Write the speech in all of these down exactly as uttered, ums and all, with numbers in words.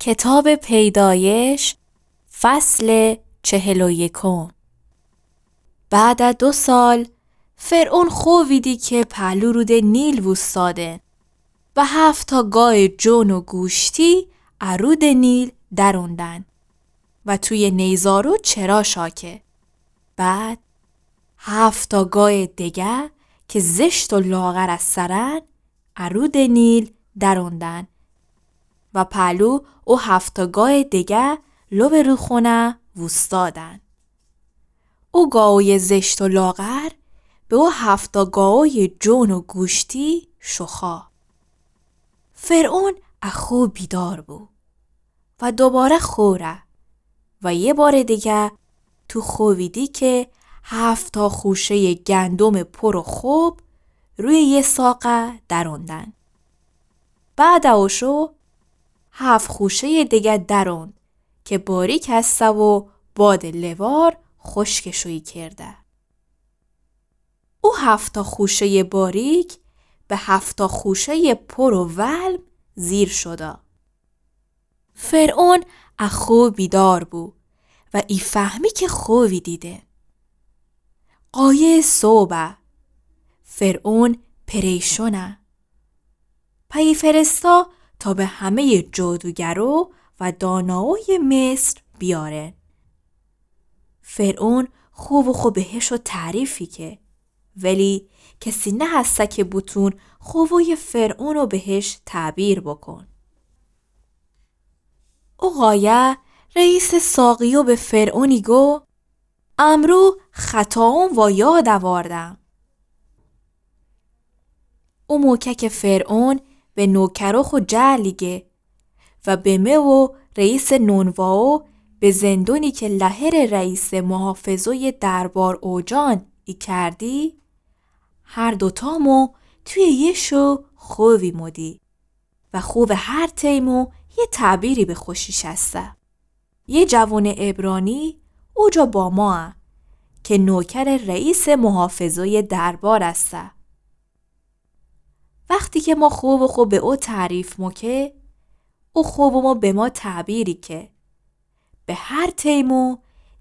کتابٚ پیدایش، فصلٚ چهل و یکم. بعدٚ دو سال، فرعون خوبیدی که پهلو رودٚ نیل ووستادن و هفتا گایٚ جون و گوشتی ا رودٚ نیل دروندن و تویٚ نیزار و چرا شاکه. بعد هفتا گایٚ دگه که زشت و لاغر اسرن، ا رودٚ نیل دروندن و پهلو او هفتا گایٚ دگه لبٚ روخونه ووستادن. او گاویٚ زشت و لاغر به او هفتا گاویٚ جون و گوشتی شوخا. فرعون ا خو بیدار بو و دوباره خوره و یه بارٚ دگه تو خوبیدی که هفتا خوشه‌یٚ گندمٚ پورٚ خب رویٚ یه ساقه دروندن. بعدٚ اوشو هفت خوشه‌یٚ دگه دروند که باریک استه و بادٚ لوار خوشکشویی کرده. او هفتا خوشه‌یٚ باریک به هفتا خوشه‌یٚ پور و ولم زیر شودا. فرعون ا خو بیدار بو و ایفهمی که خوبی دیده. قایه صبحه، فرعون پریشونه. پی فرستا تا به همه‌یٚ جادوگرو و داناویٚ مصر بیارن. فرعون خوبٚ خو بهشو تعریفی که، ولی کسی نهسته که بوتون خوبویٚ فرعونو بهش تعبیر بوکون. او قایه رئیسٚ ساقیو به فرعونی گو، امرو خطاوم وا یاد اواردم. او موکه که فرعون به نوکرو خو جعلی گه و به مه و رئیسٚ نونواو به زندونی که لهرٚ رئیسٚ محافظویٚ دربار اوجان ایکردی، هر دوتامو تویٚ یه شو خوبی مودی و خوبٚ هر تیمو یه تعبیری به خوشی شسته. یه جوونٚ عبرانی اوجا با ماه که نوکرٚ رئیسٚ محافظویٚ دربار استه. وختی که ما خوبٚ خو به او تعریف موکه، او خوبٚمو به ما تعبیری که، به هر تیمو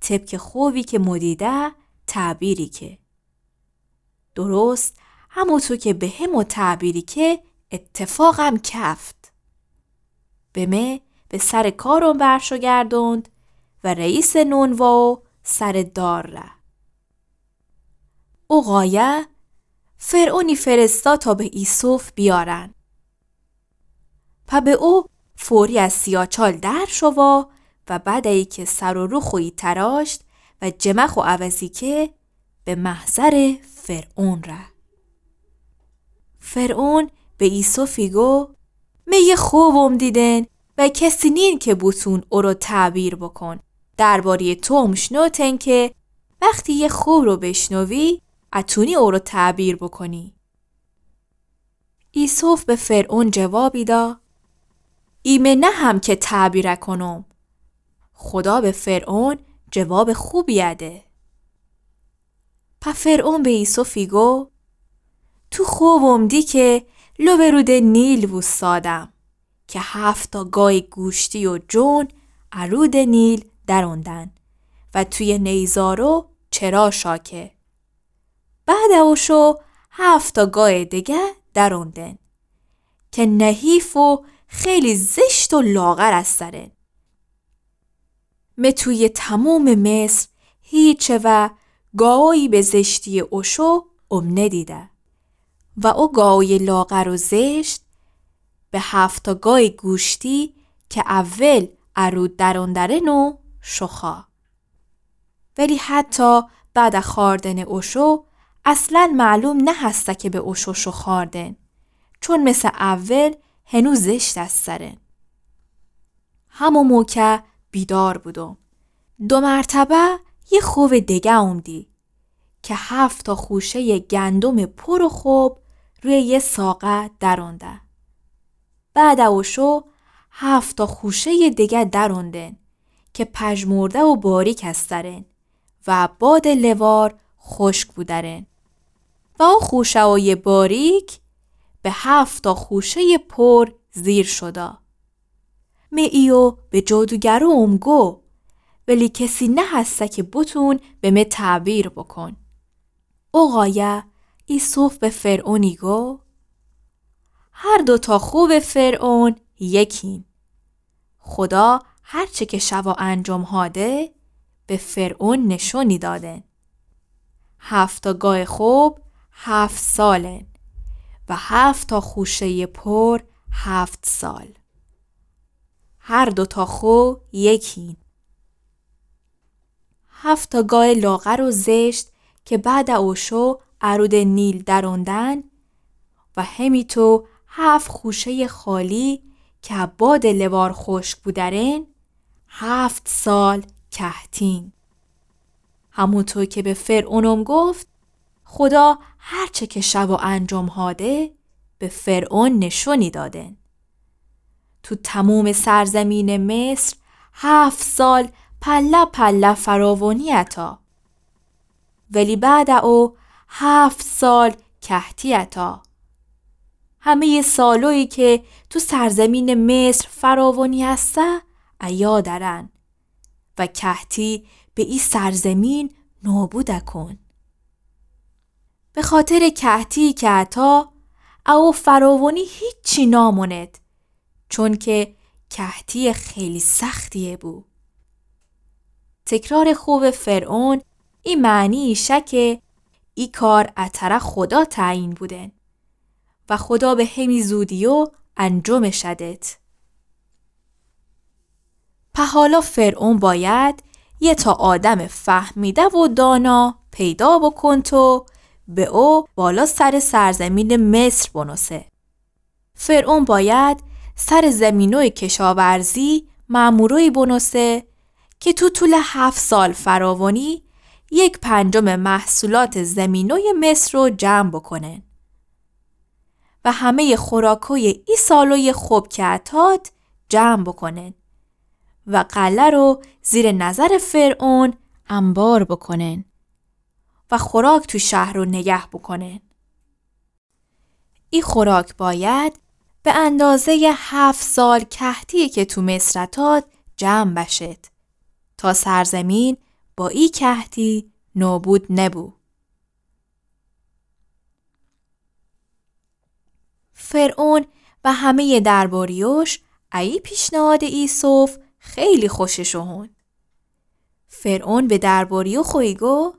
طبقٚ خوبی که مو دیده تعبیری که. درست هموطو که به همو تعبیری که اتفاقم کفت. به مه به سرٚ کارم برشو گردوند و رئیسٚ نونواو سرٚ دار ره. او قایه فرعونی فرستا تا به ایسف بیارن. په به او فوری از سیاچال در شوا و بعد ای که سر و رو خویی تراشت و جمه خو عوضی که به محضرٚ فرعون ره. فرعون به ایسفی گو، مه یه خوبم دیدن و کسی نین که بوتون اورو تعبیر بوکون. درباره‌یٚ توم شنوتن که وختی یه خوب رو بشنوی، اتونی اورو تعبیر بوکونی. ایسف به فرعون جوابی دا، ایمه نهم که تعبیره کنم. خودا به فرعون جوابٚ خوبی ده. په فرعون به ایسفی گو، تو خوبم دی که لبٚ رودٚ نیل ووستادم که هفتا گایٚ گوشتی و جون ا رودٚ نیل دروندن و تویٚ نیزارو چرا شاکه. بعد اوشو هفتا گایٚ دگه دروندن که نحیف و خیلی زشت و لاغر استرن. مه تویٚ تمومٚ مصر هیچ و گاویی به زشتیٚ اوشو اوم ندیده و او گاویٚ لاغر و زشت به هفتا گایٚ گوشتی که اول ا رود دروندرن و شوخا. ولی حتی بعد خوأردنٚ اوشو اصلا معلوم نهسته که به اوشو شوخاردن، چون مث اول هنو زشت استرن. همو موکه بیدار بودم. دو مرتبه یه خوبٚ دگه اومدی که هفتا خوشه‌یٚ گندمٚ پورٚ خب رویٚ یه ساقه درونده. بعد اوشو هفتا خوشه‌یٚ دگه دروندن که پژمرده و باریک استرن و بادٚ لوار خوشک بودرن و او خوشه‌یٚ باریک به هفتا خوشه‌یٚ پور زیر شودا. مه ایو به جادوگرو اومگو، ولی کسی نهسته که بتون به مه تعبیر بکن. او قایه ایسف به فرعونی گو: هر دوتا خوب فرعون یکین. خدا هرچه که شوا انجام هاده، به فرعون نشونی دادن. هفتا گای خوب هفت سالن و هفتا خوشهٔ پر هفت سال. هر دوتا خو یکین. هفتا گای لاغر و زشت که بعد او شو ا رود نیل دروندن و همیطو هفت خوشهٔ خالی که باد لوار خوشک بودرن، هفت سال کهتین. همونطو که به فرعونم گفت، خدا هرچه که شوا انجام هاده، به فرعون نشونی دادن. تو تموم سرزمین مصر هفت سال پله پله فراوانی اتا. ولی بعد او هفت سال کهتی اتا. همهٔ سالویی که تو سرزمین مصر فراوانی هسته، ایا درن و کهتی به ای سرزمین نابود کن. به خاطر کهتی که اتا، او فراوانی هیچی ناموند، چون که کهتی خیلی سختیه بو. تکرار خوب فرعون ای معنی ایشه که ای کار اتره خدا تعیین بودن و خدا به همی زودیو انجامش دت. په حالا فرعون باید یه تا آدم فهمیده و دانا پیدا بکن تو به او بالا سر سرزمین مصر بنوسه. فرعون باید سر زمینوی کشاورزی مأموروی بنوسه که تو طول هفت سال فراوانی یک پنجم محصولات زمینوی مصر رو جمع بکنن و همهٔ خوراکوی ای سالوی خوب که اتاد جمع بکنن و قلعه رو زیر نظر فرعون انبار بکنن و خوراک تو شهر رو نگه بکنن. ای خوراک باید به اندازهٔ هفت سال کهتی که تو مصر اتاد جمع بشد، تا سرزمین با ای کهتی نابود نبو. فرعون و همهٔ درباریوش ای پیشنهاد ایسف خیلی خوشش اومد. فرعون به درباریو خویی گو: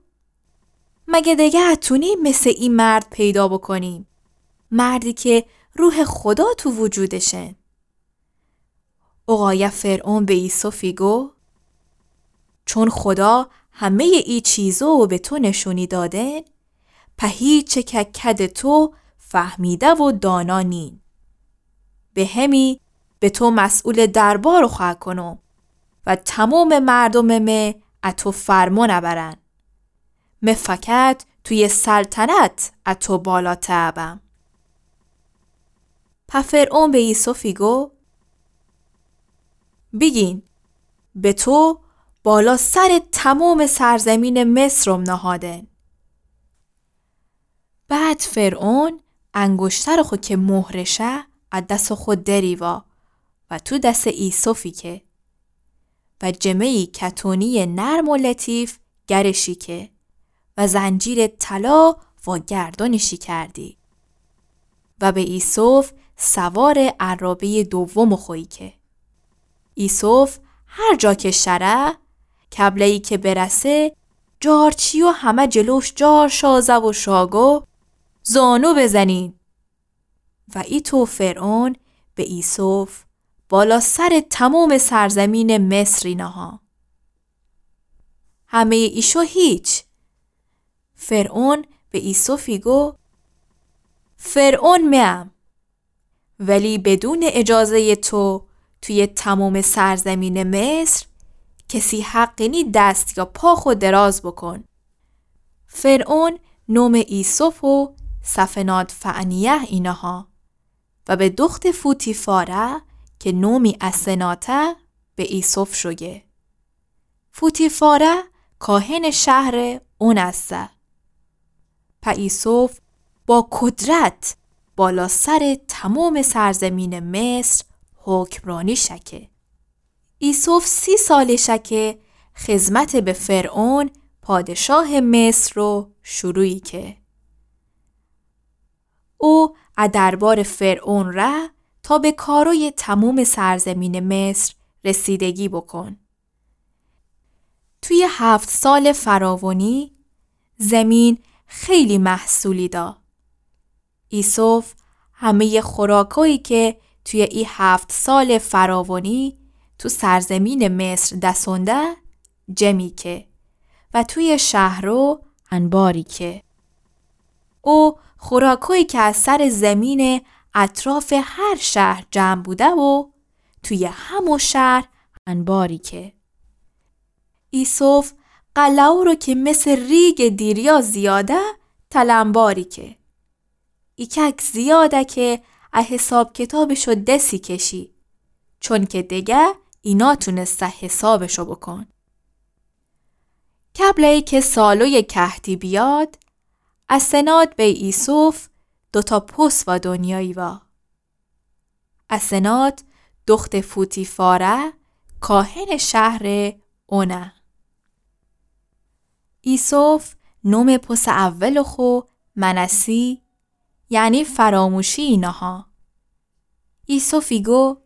مگه دگه اتونیم مثل ای مرد پیدا بکنیم، مردی که روح خدا تو وجودشن؟ او قایه فرعون به ایسفی گو: چون خدا همهٔ ای چیزو به تو نشونی دادن، په هیچه که کد تو فهمیده و دانا نین. به همی به تو مسئول دربار خو کنم و تمام مردم مه اتو فرمان برن. مه فقط توی سلطنت اتو بالاتر بم. په فرعون به ایسفی گو: بیگین، به تو بالا سر تمام سرزمین مصرم نهادن. بعد فرعون انگشتر خو که مهرشه ا دس خو دریوا و تو دس ایسفی که و جمه‌ای کتونی نرم و لطیف گرشی که و زنجیر طلا و گردنشی کردی و به ایسف سوار عرابهٔ دوم خویی که. ایسف هر جا که شره، کبله‌ای که برسه، جارچیو همه جلوش جار شازه و شاگو زانو بزنین. و ایتو فرعون به ایسف بالا سر تمام سرزمین مصری نها. همهٔ ایشو هیچ. فرعون به ایسفی گو: فرعون مئم، ولی بدون اجازهٔ تو توی تمام سرزمین مصر کسی حقی نی دست یا پا خو دراز بکن. فرعون نوم ایسف و صفنات‌فعنیه اینها و به دخت فوتیفاره که نومی اسناته به ایسف شوگه. فوتیفاره کاهن شهر اون اسه. په ایسف با قدرت بالا سر تمام سرزمین مصر حکمرانی شکه. ایسف سی سالشه که خدمت به فرعون پادشاه مصر رو شروعی که. او ا دربار فرعون ره تا به کارای تموم سرزمین مصر رسیدگی بکن. توی هفت سال فراوانی زمین خیلی محصولی دا. ایسف همهٔ خوراکایی که توی ای هفت سال فراوانی تو سرزمین مصر دسونده جمعی که و توی شهرو انباری که. او خوراکایی که از سر زمین اطراف هر شهر جمع بوده و توی همو شهر انباری که. ایسف قلعو رو که مثل ریگ دیریا زیاده تلمباری که. ایکک زیاده که ا حساب کتابشو دسی کشی، چون که دگه اینا تونسته حسابشو بکن. قبل ای که سالوی کهتی بیاد، اسنات بی ایسف دوتا پس وا دنیایی وا. اسنات دخت فوتیفاره، کاهن شهر اونه. ایسف نوم پس اول خو منسی، یعنی فراموشی اینها. ایسف ایگو،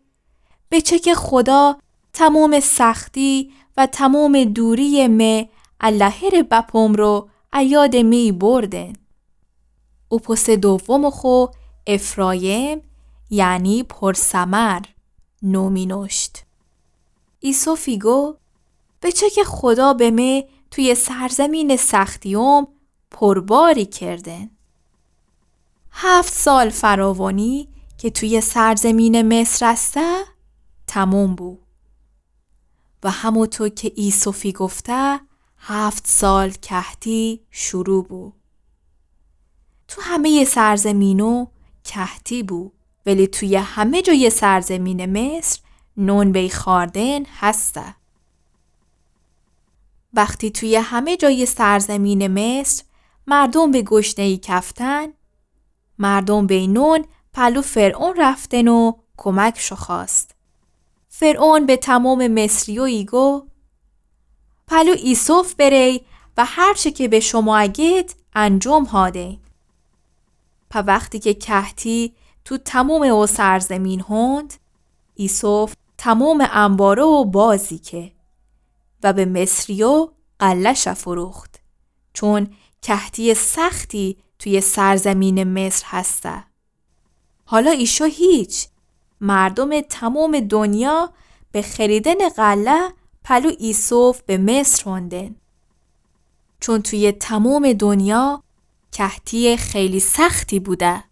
به چه که خدا تموم سختی و تموم دوری مه ا لهر بپوم رو ا یاد می بردن. او پس دوم خو افرایم، یعنی پرثمر، نومی نوشت. ایسف ایگو، به چه که خدا به مه توی سرزمین سختیوم پرباری کردن. هفت سال فراوانی که توی سرزمین مصر استه تموم بو. و همونطور که ایسف ایگفته، هفت سال کهتی شروع بو. تو همهٔ سرزمینو کهتی بو، ولی توی همه جای سرزمین مصر نون بی خوردن هسته. وقتی توی همه جای سرزمین مصر مردم به گشنه‌ای کفتن، مردم بی نون پلو فرعون رفتن و کمکشو خواست. فرعون به تموم مصریو ایگو، پلو ایسف بری و هرچه که به شما اگید انجام هادین. په وختی که کهتی تو تموم او سرزمین هوند، ایسف تموم انبارو بازی که و به مصریو غله‌شه فروخت، چون کهتی سختی توی سرزمین مصر هسته. حالا ایشو هیچ، مردم تموم دنیا به خریدن غله پلو ایسف به مصر هوندن. چون توی تموم دنیا کهتی خیلی سختی بوده.